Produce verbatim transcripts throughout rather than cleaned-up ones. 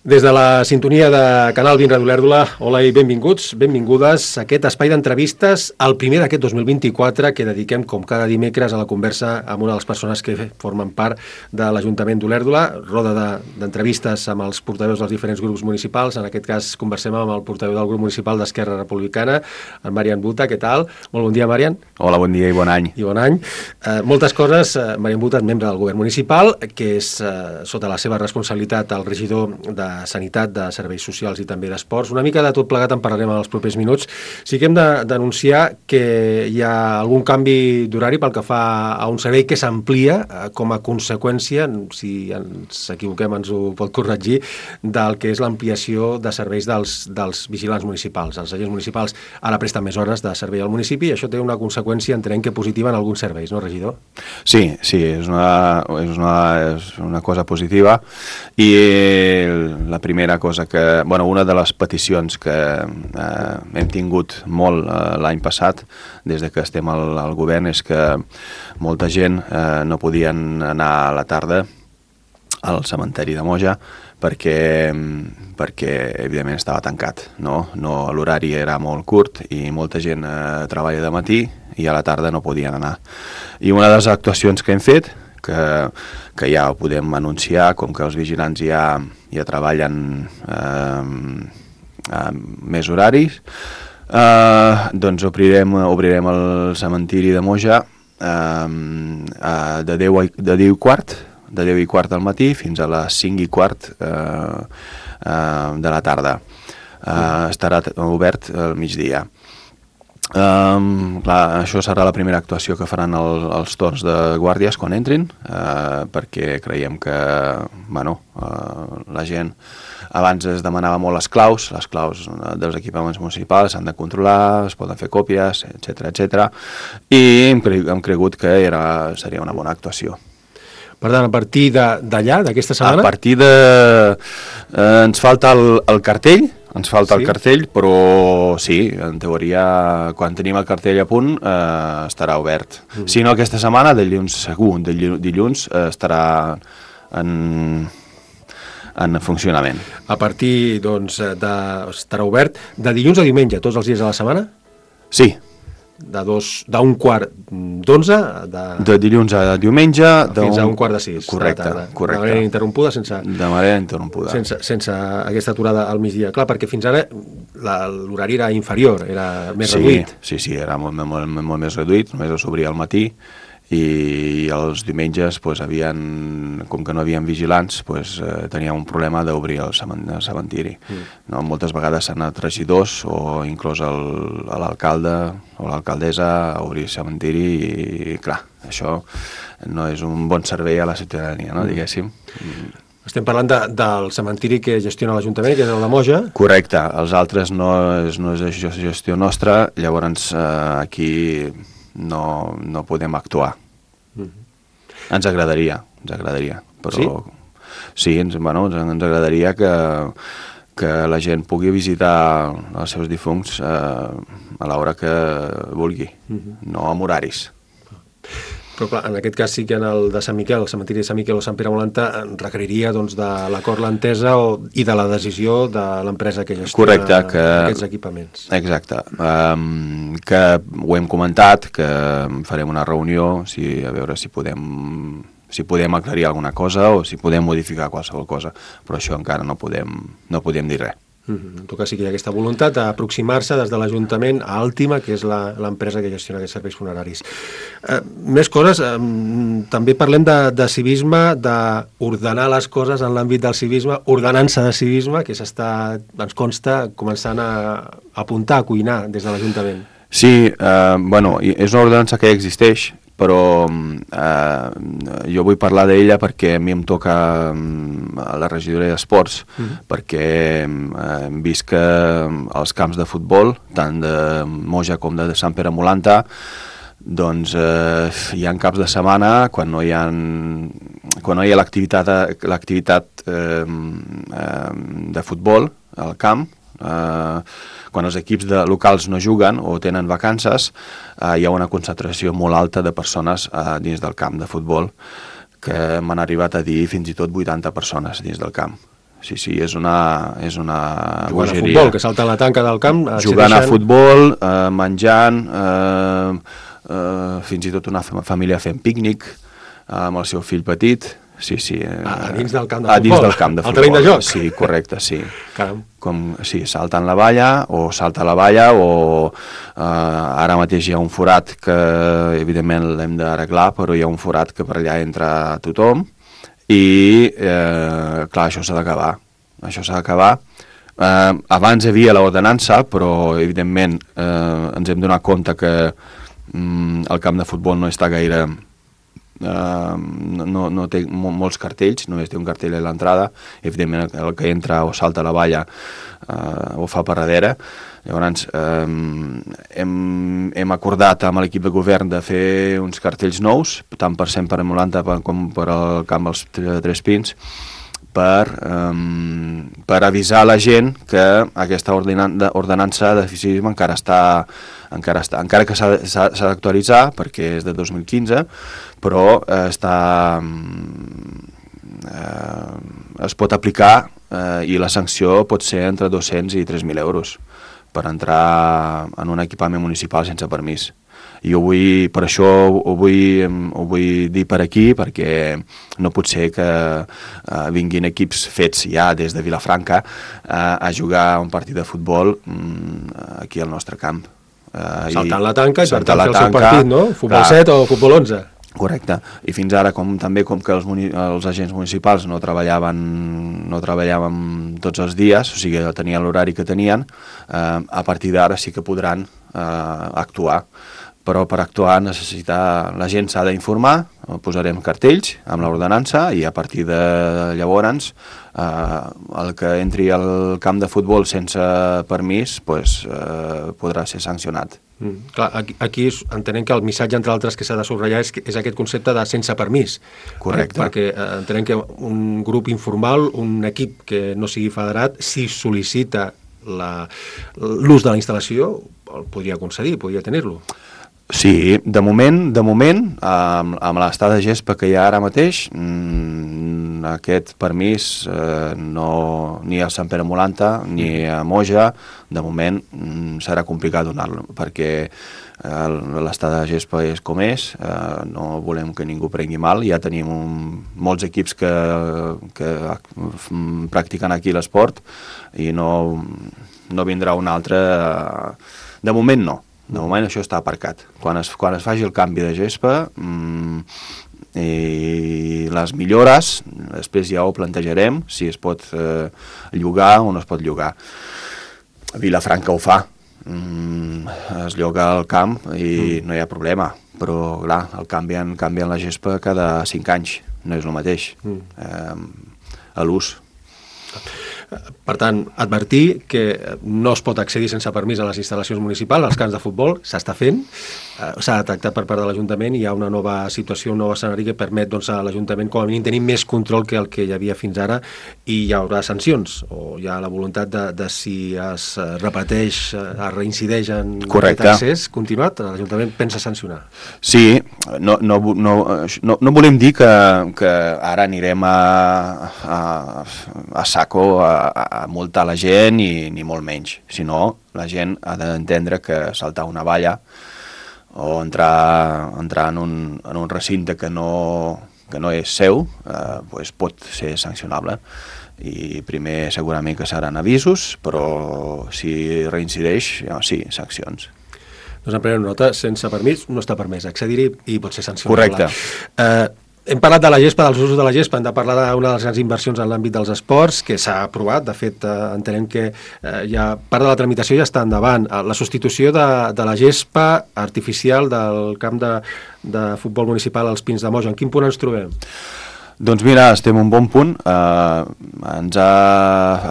Des de la sintonia de Canal vint Ràdio Olèrdola, hola i benvinguts, benvingudes a aquest espai d'entrevistes, el primer d'aquest dos mil vint-i-quatre, que dediquem com cada dimecres a la conversa amb una de les persones que formen part de l'Ajuntament d'Olèrdola, roda d'entrevistes amb els portaveus dels diferents grups municipals. En aquest cas conversem amb el portaveu del grup municipal d'Esquerra Republicana, en Marian Buta. Què tal? Molt bon dia, Marian. Hola, bon dia i bon any. I bon any. Eh, moltes coses. Eh, Marian Buta és membre del govern municipal, que és eh, sota la seva responsabilitat el regidor de Sanitat, de Serveis Socials i també d'Esports. Una mica de tot plegat en parlarem en els propers minuts. Sí que hem de denunciar que hi ha algun canvi d'horari pel que fa a un servei que s'amplia eh, com a conseqüència, si ens equivoquem ens ho pot corregir, del que és l'ampliació de serveis dels, dels vigilants municipals. Els agents municipals ara presten més hores de servei al municipi i això té una conseqüència, entenem que positiva en alguns serveis, no, regidor? Sí, sí, és una, és una, és una cosa positiva i la primera cosa que, bueno, una de les peticions que eh, hem tingut molt eh, l'any passat, des de que estem al, al govern, és que molta gent eh, no podien anar a la tarda al cementeri de Moja perquè, perquè evidentment estava tancat, no? No, l'horari era molt curt i molta gent eh, treballa de matí i a la tarda no podien anar. I una de les actuacions que hem fet, que, que ja ho podem anunciar, com que els vigilants ja, ja treballen eh, més horaris, eh, doncs obrirem, obrirem el cementiri de Moja eh, de deu i quart, de deu i quart al matí fins a les cinc i quart eh, eh, de la tarda. Eh, estarà obert al migdia. Um, clar, això serà la primera actuació que faran el, els torns de guàrdies quan entrin, uh, perquè creiem que bueno, uh, la gent abans es demanava molt les claus, les claus dels equipaments municipals s'han de controlar, es poden fer còpies, etcètera, etcètera, i hem, cre hem cregut que era, seria una bona actuació. Per tant, a partir d'allà, d'aquesta setmana? A partir de... Eh, ens falta el, el cartell, ens falta sí? el cartell, però sí, en teoria, quan tenim el cartell a punt, eh, estarà obert. Mm. Si no, aquesta setmana, dilluns segur, dilluns eh, estarà en, en funcionament. A partir, doncs, de, estarà obert de dilluns a diumenge, tots els dies de la setmana? Sí. De dos, d'un quart d'onze de... de dilluns a diumenge fins a un quart de sis correcte, de, correcte. de manera interrompuda sense, de manera interrompuda sense, sense aquesta aturada al migdia, clar, perquè fins ara l'horari era inferior, era més sí, reduït. Sí, sí, era molt, molt, molt, molt més reduït, només s'obria al matí i els diumenges pues, havien, com que no havien vigilants pues, eh, teníem un problema d'obrir el cementiri. Mm. No? Moltes vegades s'han anat regidors o inclús l'alcalde o l'alcaldessa a obrir el cementiri i clar, això no és un bon servei a la ciutadania, no? Mm. diguéssim. Mm. Estem parlant de, del cementiri que gestiona l'Ajuntament, que és el de Moja. Correcte, els altres no és, no és gestió nostra, llavors eh, aquí no, no podem actuar. Mm-hmm. Ens agradaria, ens agradaria, però sí, sí ens, bueno, ens, ens agradaria que, que la gent pugui visitar els seus difunts eh, a l'hora que vulgui, mm-hmm. no amb horaris. Però clar, en aquest cas sí que en el de Sant Miquel, el cementiri de Sant Miquel o Sant Pere Molanta, requeriria doncs, de l'acord, l'entesa i de la decisió de l'empresa que gestiona Correcte, que, aquests equipaments. Exacte. Um, que ho hem comentat, que farem una reunió si, a veure si podem, si podem aclarir alguna cosa o si podem modificar qualsevol cosa, però això encara no podem, no podem dir res. En tot cas sí que hi ha aquesta voluntat d'aproximar-se des de l'Ajuntament a Àltima, que és l'empresa que gestiona aquests serveis funeraris. Eh, més coses, eh, també parlem de, de civisme, d'ordenar les coses en l'àmbit del civisme, ordenança de civisme, que s'està, ens consta, començant a apuntar, a cuinar des de l'Ajuntament. Sí, eh, bueno, és una ordenança que ja existeix, però eh, jo vull parlar d'ella perquè a mi em toca a la regidoria d'Esports, mm-hmm. perquè eh, hem vist que els camps de futbol, tant de Moja com de Sant Pere Molanta, doncs eh, hi ha caps de setmana quan no hi ha, quan no hi ha l'activitat l'activitat eh, eh, de futbol al camp, eh, quan els equips de locals no juguen o tenen vacances, eh, hi ha una concentració molt alta de persones eh, dins del camp de futbol, que m'han arribat a dir fins i tot vuitanta persones dins del camp. sí, sí, és una, és una jugant bogeria. a futbol, que salten la tanca del camp, jugant a futbol, eh, menjant, eh, eh, fins i tot una família fent pícnic eh, amb el seu fill petit. Sí, sí. Eh, a dins del camp de futbol. A dins del camp de futbol. Al terreny de joc. Sí, correcte, sí. Caram. Com, sí, salten la valla, o salta la valla, o eh, ara mateix hi ha un forat que, evidentment, l'hem d'arreglar, però hi ha un forat que per allà entra tothom, i, eh, clar, això s'ha d'acabar. Això s'ha d'acabar. Eh, abans hi havia l'ordenança, però, evidentment, eh, ens hem donat compte que mm, el camp de futbol no està gaire... Uh, no, no té molts cartells, només té un cartell a l'entrada, evidentment el que entra o salta a la valla uh, ho fa per darrere. Llavors um, hem, hem acordat amb l'equip de govern de fer uns cartells nous, tant per cent per Molanta com per al camp dels Tres Pins, per, um, per avisar la gent que aquesta ordenança de fiscalisme encara està, encara està, encara que s'ha d'actualitzar, perquè és de dos mil quinze, però eh, està, eh, es pot aplicar eh, i la sanció pot ser entre dos-cents i tres mil euros per entrar en un equipament municipal sense permís. I ho vull, per això ho vull, ho vull dir per aquí, perquè no pot ser que eh, vinguin equips fets ja des de Vilafranca eh, a jugar un partit de futbol mm, aquí al nostre camp. Eh, saltant la tanca i per tant fer el tanca, seu partit, no? Futbol clar, set o futbol onze. Correcte. I fins ara, com també com que els, els agents municipals no treballaven, no treballaven tots els dies, o sigui, tenien l'horari que tenien, eh, a partir d'ara sí que podran eh, actuar. Però per actuar necessita, la gent s'ha d'informar, posarem cartells amb l'ordenança i a partir de llavors eh, el que entri al camp de futbol sense permís pues, eh, podrà ser sancionat. Mm, clar, aquí, aquí entenem que el missatge, entre altres, que s'ha de subratllar és, és aquest concepte de sense permís. Correcte. Perquè eh, entenem que un grup informal, un equip que no sigui federat, si sol·licita l'ús de la instal·lació, el podria concedir, podria tenir-lo. Sí, de moment, de moment, amb, amb l'estat de gespa que hi ha ara mateix, mmm, aquest permís eh, no, ni a Sant Pere Molanta ni a Moja, de moment mmm, serà complicat donar-lo, perquè eh, l'estat de gespa és com és, eh, no volem que ningú prengui mal, ja tenim un, molts equips que, que practiquen aquí l'esport i no, no vindrà un altre, eh, de moment no. De moment això està aparcat. Quan es, quan es faci el canvi de gespa mmm, i les millores, després ja ho plantejarem, si es pot eh, llogar o no es pot llogar. Vilafranca ho fa. Mm, es lloga el camp i mm. no hi ha problema, però clar, el canvien, canvien la gespa cada cinc anys, no és el mateix, mm. eh, a l'ús. Per tant, advertir que no es pot accedir sense permís a les instal·lacions municipals, als camps de futbol, s'està fent, s'ha detectat per part de l'Ajuntament, hi ha una nova situació, un nou escenari que permet doncs, a l'Ajuntament com a mínim tenir més control que el que hi havia fins ara, i hi haurà sancions, o hi ha la voluntat de, de si es repeteix, es reincideix en Correcte. Aquest accés continuat, l'Ajuntament pensa sancionar. Sí, no, no, no, no, no volem dir que, que ara anirem a, a, a saco a a multar la gent i ni molt menys, sinó la gent ha d'entendre que saltar una valla o entrar, entrar en, un, en un recinte que no, que no és seu eh, pues pot ser sancionable i primer segurament que seran avisos, però si reincideix, ja, sí, sancions. Doncs en prenem nota, sense permís no està permès accedir-hi i pot ser sancionable. Correcte. Eh, Hem parlat de la gespa, dels usos de la gespa, hem de parlar d'una de les grans inversions en l'àmbit dels esports, que s'ha aprovat, de fet, eh, entenem que eh, ja part de la tramitació ja està endavant. La substitució de, de la gespa artificial del camp de, de futbol municipal als Pins de Moja. En quin punt ens trobem? Doncs mira, estem en un bon punt. Eh, ens ha,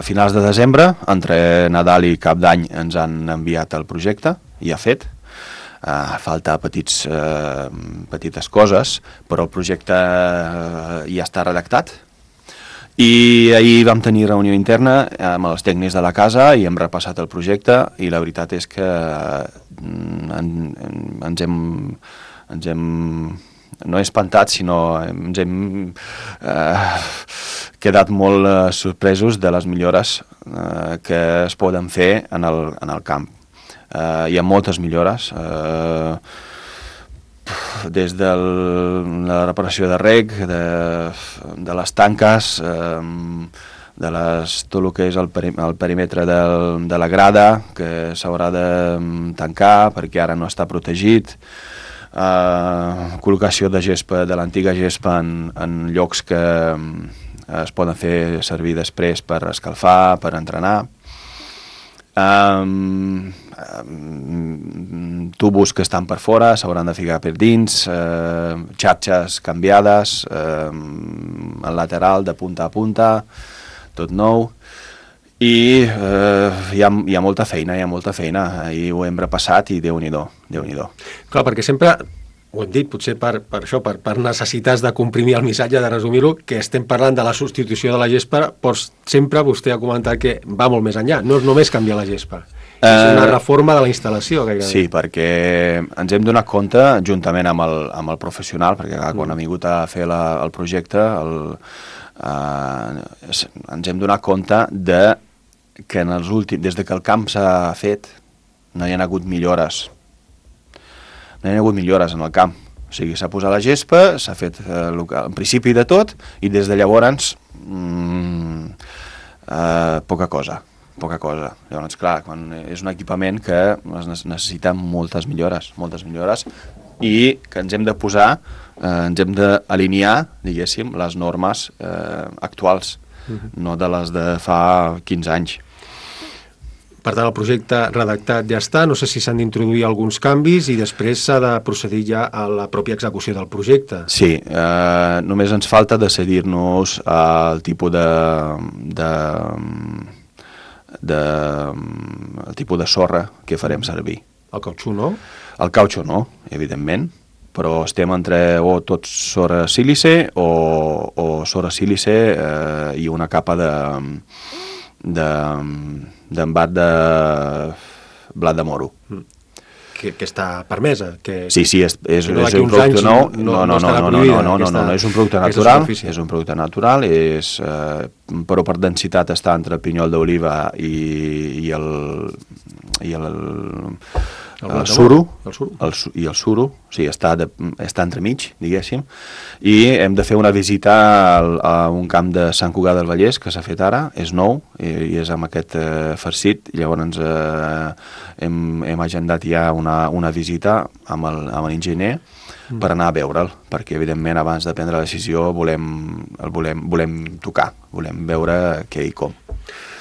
a finals de desembre, entre Nadal i Cap d'Any, ens han enviat el projecte, ja fet. Uh, falta petits, uh, petites coses, però el projecte uh, ja està redactat. I ahir vam tenir reunió interna amb els tècnics de la casa i hem repassat el projecte i la veritat és que uh, en, en, ens hem, ens hem no he espantat, sinó ens hem eh, quedat molt eh, sorpresos de les millores eh, que es poden fer en el, en el camp. Eh, hi ha moltes millores, eh, des de la reparació de reg, de, de les tanques, eh, de les, tot el que és el, peri, el perímetre del, de la grada, que s'haurà de tancar perquè ara no està protegit, eh, col·locació de gespa, de l'antiga gespa en, en llocs que es poden fer servir després per escalfar, per entrenar. Um, um, tubos que estan per fora s'hauran de ficar per dins, uh, xarxes canviades, um, el lateral de punta a punta, tot nou, i uh, hi, ha, hi ha molta feina, hi ha molta feina, ahir ho hem repassat i Déu-n'hi-do, Déu-n'hi-do. Clar, perquè sempre, ho hem dit, potser per, per això, per, per necessitats de comprimir el missatge, de resumir-ho, que estem parlant de la substitució de la gespa, però sempre vostè ha comentat que va molt més enllà, no és només canviar la gespa, uh, és una reforma de la instal·lació. Gairebé. Sí, perquè ens hem donat compte, juntament amb el, amb el professional, perquè clar, quan mm. ha vingut a fer la, el projecte, el, uh, ens hem donat compte de que en els últims, des de que el camp s'ha fet, no hi ha hagut millores. No hi ha hagut millores en el camp. O sigui, s'ha posat la gespa, s'ha fet eh, en principi de tot, i des de llavors mmm, eh, poca cosa, poca cosa. Llavors, clar, quan és un equipament que es necessita moltes millores, moltes millores, i que ens hem de posar, eh, ens hem d'alinear, diguéssim, les normes eh, actuals, uh-huh. no de les de fa quinze anys. Per tant, el projecte redactat ja està, no sé si s'han d'introduir alguns canvis i després s'ha de procedir ja a la pròpia execució del projecte. Sí, eh, només ens falta decidir-nos al tipus de, de, de, el tipus de sorra que farem servir. El cautxú no? El cautxú no, evidentment, però estem entre o tot sorra sílice o, o sorra sílice eh, i una capa de... de d'embat de blat de moro. Que, que està permesa. Que, sí, sí, és, és, no és un producte nou. No, no, no, no, no, no, no, no, no, no, no, és un producte natural, és un producte natural, és, eh, però per densitat està entre el pinyol d'oliva i, i el i el, el, el suro, el suro. El, i el suro, o sigui, està, de, està entremig, diguéssim, i hem de fer una visita al, a un camp de Sant Cugat del Vallès, que s'ha fet ara, és nou, i, i és amb aquest eh, farcit, i llavors eh, hem, hem agendat ja una, una visita amb el, amb l'enginyer mm. per anar a veure'l, perquè evidentment abans de prendre la decisió volem, el volem, volem tocar, volem veure què i com.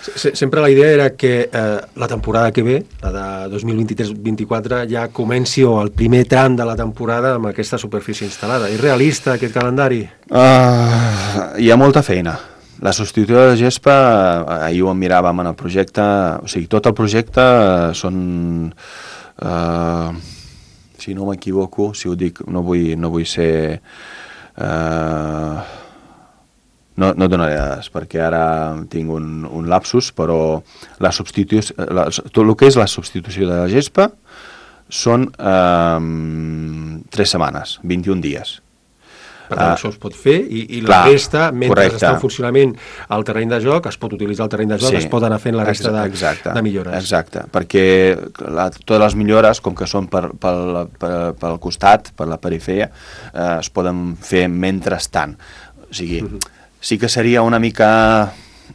Sempre la idea era que eh, la temporada que ve, la de dos mil vint-i-tres vint-i-quatre, ja comenci o el primer tram de la temporada amb aquesta superfície instal·lada. És realista aquest calendari? Uh, hi ha molta feina. La substitució de la gespa, ahir ho miràvem en el projecte, o sigui, tot el projecte són, uh, si no m'equivoco, si ho dic, no vull, no vull ser... Uh, No, no donaré dades, perquè ara tinc un, un lapsus, però la substitució, la, tot el que és la substitució de la gespa són eh, tres setmanes, vint-i-un dies. Per tant, uh, això es pot fer i, i la clar, resta, mentre correcte. Està en funcionament el terreny de joc, es pot utilitzar el terreny de joc, sí, es pot anar fent la resta de, exacte, de millores. Exacte, perquè la, totes les millores, com que són per, per, per, pel costat, per la perifèria, eh, es poden fer mentrestant. O sigui... Uh-huh. Sí que seria una mica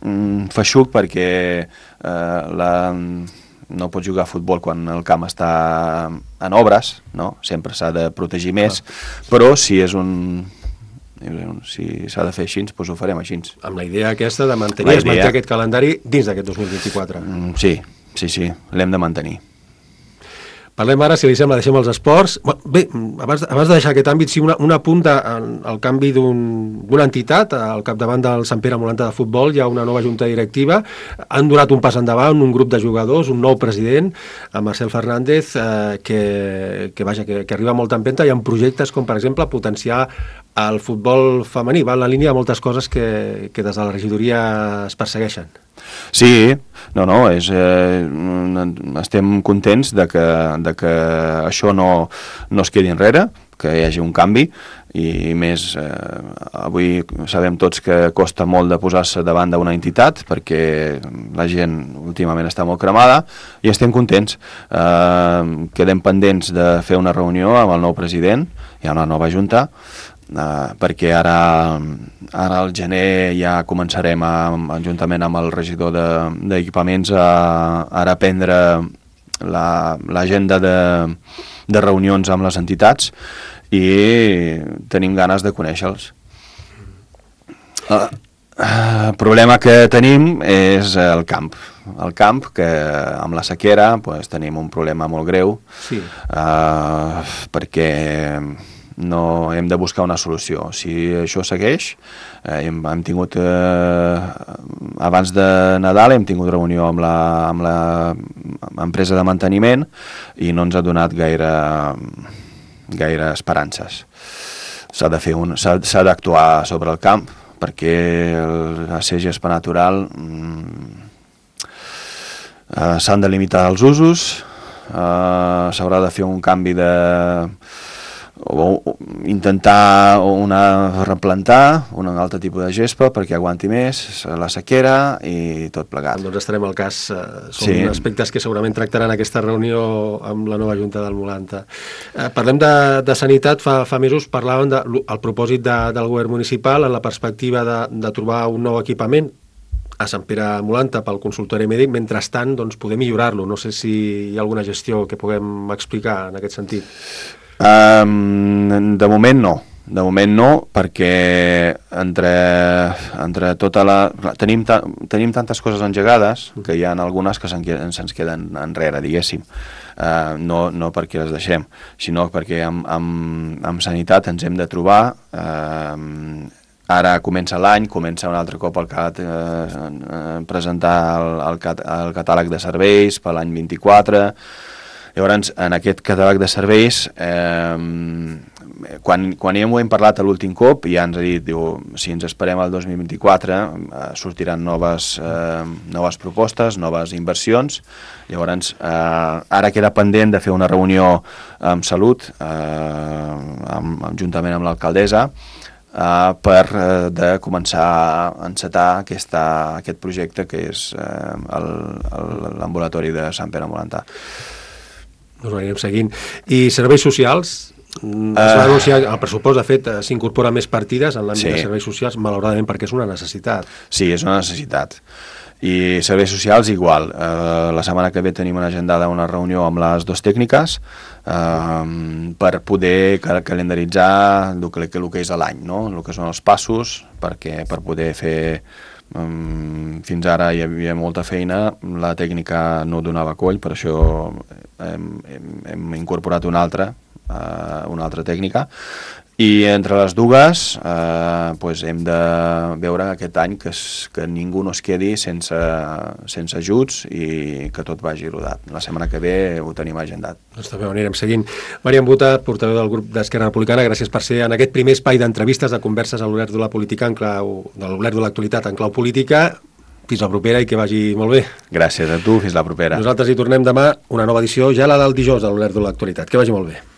mm, feixuc perquè eh, la, no pots jugar a futbol quan el camp està en obres, no? Sempre s'ha de protegir més, ah. però si és un... si s'ha de fer així, doncs ho farem així. Amb la idea aquesta de mantenir, idea... es manté aquest calendari dins d'aquest dos mil vint-i-quatre. Mm, sí, sí, sí, l'hem de mantenir. Parlem ara, si li sembla, deixem els esports. Bé, abans, abans de deixar aquest àmbit, sí, una, una punta al canvi d'una un, entitat, al capdavant del Sant Pere Molanta de futbol, hi ha una nova junta directiva, han donat un pas endavant, un grup de jugadors, un nou president, amb Marcel Fernández, eh, que, que, vaja, que, que arriba molt empenta, hi ha projectes com, per exemple, potenciar el futbol femení, va en la línia de moltes coses que, que des de la regidoria es persegueixen. Sí, no, no, és, eh, estem contents de que, de que això no, no es quedi enrere, que hi hagi un canvi, i més eh, avui sabem tots que costa molt de posar-se davant d'una entitat perquè la gent últimament està molt cremada i estem contents. Eh, quedem pendents de fer una reunió amb el nou president, hi ha una nova junta, eh, perquè ara, ara al gener ja començarem a, juntament amb el regidor d'equipaments de, a, a prendre l'agenda la, de, de reunions amb les entitats i tenim ganes de conèixer-los. El problema que tenim és el camp. El camp, que amb la sequera pues, tenim un problema molt greu, sí. uh, perquè no hem de buscar una solució. Si això segueix, eh, hem, hem tingut, eh, abans de Nadal hem tingut reunió amb la, amb la empresa de manteniment i no ens ha donat gaire... gaire esperances. S'ha de fer un, s'ha d'actuar sobre el camp perquè el ser gespa natural mm, eh, s'han de limitar els usos, eh, s'haurà de fer un canvi de o, o intentar una replantar un altre tipus de gespa perquè aguanti més la sequera i tot plegat. Doncs estarem al cas, eh, són sí. aspectes que segurament tractaran aquesta reunió amb la nova Junta del Molanta. Eh, parlem de, de sanitat, fa, fa mesos parlàvem del de, propòsit de, del govern municipal en la perspectiva de, de trobar un nou equipament a Sant Pere Molanta pel consultori mèdic, mentrestant doncs, poder millorar-lo. No sé si hi ha alguna gestió que puguem explicar en aquest sentit. Um, de moment no, de moment no, perquè entre, entre tota la... Tenim, ta, tenim tantes coses engegades que hi ha algunes que se'ns se queden enrere, diguéssim. Uh, no, no perquè les deixem, sinó perquè amb, amb, amb sanitat ens hem de trobar... Uh, ara comença l'any, comença un altre cop el cat, eh, presentar el, el, cat, el catàleg de serveis per l'any vint-i-quatre. Llavors, en aquest catàleg de serveis, eh, quan, quan ja m'ho hem parlat a l'últim cop, ja ens ha dit, diu, si ens esperem al dos mil vint-i-quatre, eh, sortiran noves, eh, noves propostes, noves inversions. Llavors, eh, ara queda pendent de fer una reunió amb Salut, eh, amb, juntament amb l'alcaldessa, Uh, per uh, de començar a encetar aquesta, aquest projecte que és uh, l'ambulatori de Sant Pere Molanta. Doncs ho anirem seguint. I serveis socials? Uh, es va anunciar, el pressupost, de fet, s'incorpora més partides en l'àmbit sí. de serveis socials, malauradament perquè és una necessitat. Sí, és una necessitat. I serveis socials igual. Uh, la setmana que ve tenim una agendada una reunió amb les dues tècniques uh, per poder cal calendaritzar el que, el que és l'any, no? El que són els passos, perquè per poder fer... Um, fins ara hi havia molta feina, la tècnica no donava coll, per això hem, hem, hem incorporat una altra, uh, una altra tècnica. I entre les dues eh, pues hem de veure aquest any que, es, que ningú no es quedi sense, sense ajuts i que tot vagi rodat. La setmana que ve ho tenim agendat. Doncs també ho anirem seguint. Maria Embota, portaveu del grup d'Esquerra Republicana, gràcies per ser en aquest primer espai d'entrevistes, de converses a l'Obert de la Política en clau, de l'Obert de l'actualitat en clau política. Fins la propera i que vagi molt bé. Gràcies a tu, fins la propera. Nosaltres hi tornem demà, una nova edició, ja la del dijous de l'Obert de l'actualitat. Que vagi molt bé.